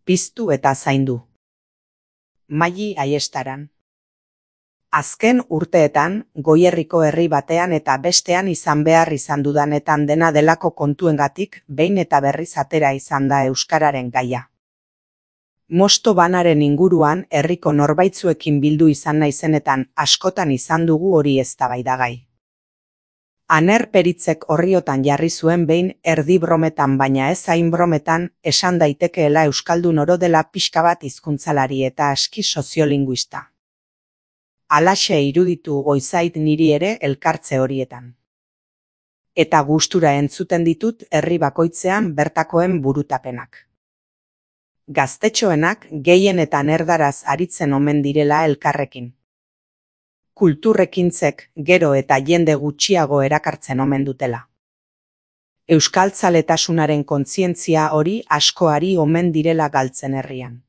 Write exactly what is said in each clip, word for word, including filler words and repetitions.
piztu eta zaindu. Maili Aiestaran. Azken urteetan, Goierriko herri batean eta bestean izan behar izan dudanetan dena delako kontuengatik behin eta berriz atera izan da euskararen gaia. Mosto banaren inguruan herriko norbaitzuekin bildu izan naizenetan askotan izan dugu hori eztabaidagai. Aner Peritzek orriotan jarri zuen behin erdi brometan baina ez hain brometan esan daitekeela euskaldun oro dela pixka bat hizkuntzalari eta aski soziolinguista. Halaxe iruditu goizait niri ere elkartze horietan. Eta gustura entzuten ditut herri bakoitzean bertakoen burutapenak. Gaztetxoenak gehienetan erdaraz aritzen omen direla elkarrekin. Kulturrekintzek gero eta jende gutxiago erakartzen omen dutela. Euskaltzaletasunaren kontzientzia hori askoari omen direla galtzen herrian.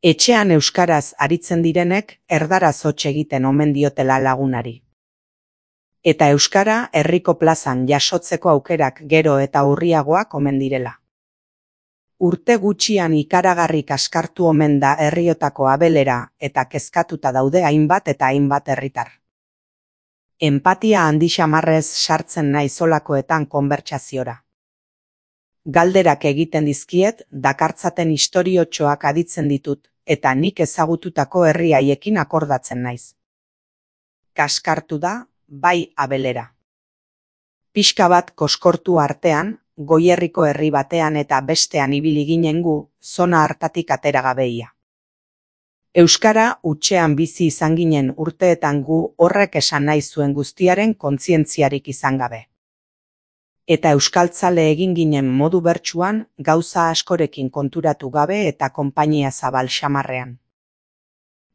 Etxean euskaraz aritzen direnek erdaraz hots egiten omen diotela lagunari. Eta euskara herriko plazan jasotzeko aukerak gero eta urriagoak omen direla. Urte gutxian ikaragarri kaskartu omen da herriotako abelera eta kezkatuta daude hainbat eta hainbat herritar. Enpatia handi xamarrez sartzen naiz holakoetan konbertsaziora. Galderak egiten dizkiet, dakartzaten istoriotxoak aditzen ditut, eta nik ezagututako herri haiekin akordatzen naiz. Kaskartu da, bai abelera. Pixka bat koskortu artean, Goierriko herri batean eta bestean ibili ginen gu, zona hartatik ateragabeia. Euskara hutsean bizi izan ginen urteetan gu horrek esan nahi zuen guztiaren kontzientziarik izan gabe. Eta euskaltzale egin ginen modu bertsuan, gauza askorekin konturatu gabe eta konpainia zabal xamarrean.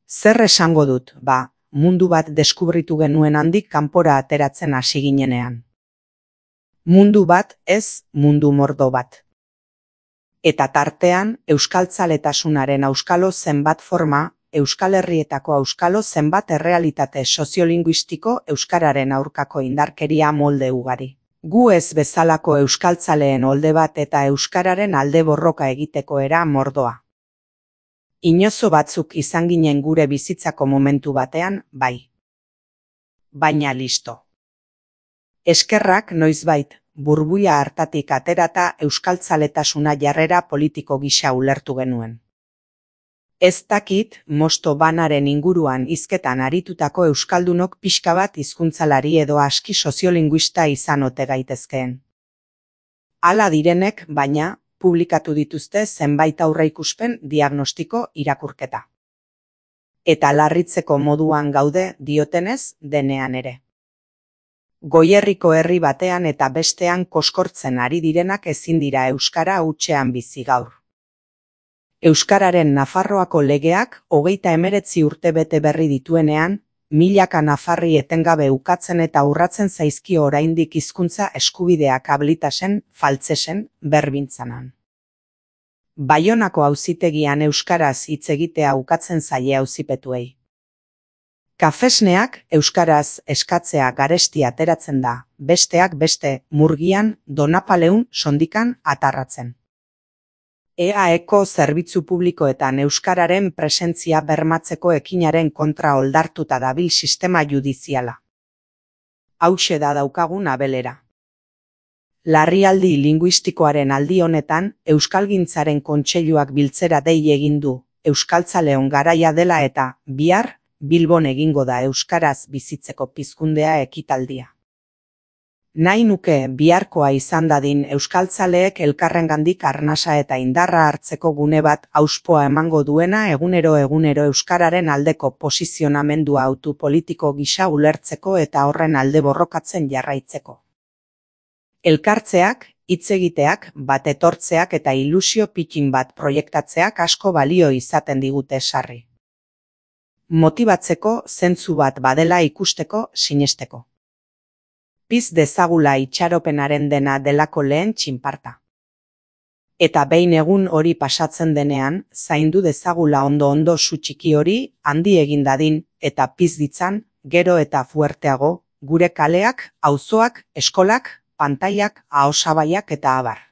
Zer esango dut, ba, mundu bat deskubritu genuen handik kanpora ateratzen hasi ginenean. Mundu bat ez, mundu mordo bat. Eta tartean, euskaltzaletasunaren auskalo zenbat forma, Euskal Herrietako auskalo zenbat errealitate soziolinguistiko euskararen aurkako indarkeria molde ugari. Gu ez bezalako euskaltzaleen olde bat eta euskararen alde borroka egiteko era mordoa. Inozo batzuk izan ginen gure bizitzako momentu batean, bai. Baina listo. Eskerrak noizbait, burbuia hartatik aterata euskaltzaletasuna jarrera politiko gisa ulertu genuen. Ez dakit, mosto banaren inguruan hizketan aritutako euskaldunok pixka bat hizkuntzalari edo aski soziolinguista izan ote gaitezkeen. Hala direnek, baina, publikatu dituzte zenbait aurreikuspen diagnostiko irakurketa. Eta larritzeko moduan gaude diotenez denean ere. Goierriko herri batean eta bestean koskortzen ari direnak ezin dira euskara hutsean bizi gaur. Euskararen Nafarroako legeak hogeita hemeretzi urte bete berri dituenean, milaka nafarri etengabe ukatzen eta urratzen zaizkio oraindik hizkuntza eskubideak ablitasen, faltsesen, berbintzanan. Baionako auzitegian euskaraz hitz egitea ukatzen zaie auzipetuei. Kafesneak euskaraz eskatzea garesti ateratzen da, besteak beste Murgian, Donapaleun, Sondikan atarratzen. E A Eko zerbitzu publikoetan euskararen presentzia bermatzeko ekinaren kontra oldartuta dabil sistema judiziala. Hauxe da daukagun abelera. Larrialdi linguistikoaren aldi honetan, Euskalgintzaren Kontseiluak biltzera dei egin du, euskaltzaleon garaia dela eta, bihar, Bilbon egingo da euskaraz bizitzeko pizkundea ekitaldia. Nahi nuke biharkoa izan dadin euskaltzaleek elkarrengandik arnasa eta indarra hartzeko gune bat auspoa emango duena egunero egunero euskararen aldeko posizionamendua autu politiko gisa ulertzeko eta horren alde borrokatzen jarraitzeko. Elkartzeak, hitz egiteak, bat etortzeak eta ilusio pikin bat proiektatzeak asko balio izaten digute sarri. Motibatzeko zentzu bat badela ikusteko sinesteko. Piz dezagula itxaropenaren dena delako lehen txinparta. Eta behin egun hori pasatzen denean, zaindu dezagula ondo-ondo su txiki hori handi egin dadin eta piz ditzan, gero eta fuerteago, gure kaleak, auzoak, eskolak, pantailak, ahosabaiak eta abar.